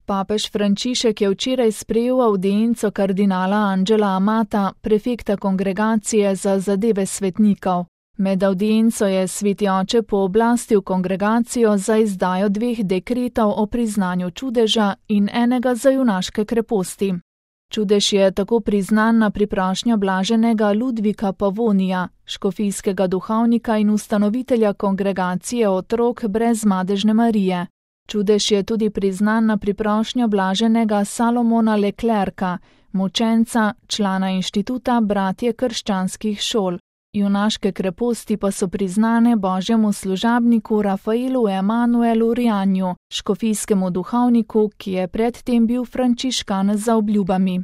Papež Frančišek je včeraj sprejel avdienco kardinala Angela Amata, prefekta Kongregacije za zadeve svetnikov. Med avdienco je sveti oče pooblastil kongregacijo za izdajo 2 dekretov o priznanju čudeža in enega za junaške kreposti. Čudež je tako priznan na priprošnjo blaženega Ludvika Pavonija, škofijskega duhovnika in ustanovitelja kongregacije otrok brez madežne Marije. Čudež je tudi priznan na priprošnjo blaženega Salomona Leclerca, mučenca, člana inštituta Bratje krščanskih šol. Junaške kreposti pa so priznane božjemu služabniku Rafaelu Emanuelu Rianju, škofijskemu duhovniku, ki je predtem bil frančiškan za obljubami.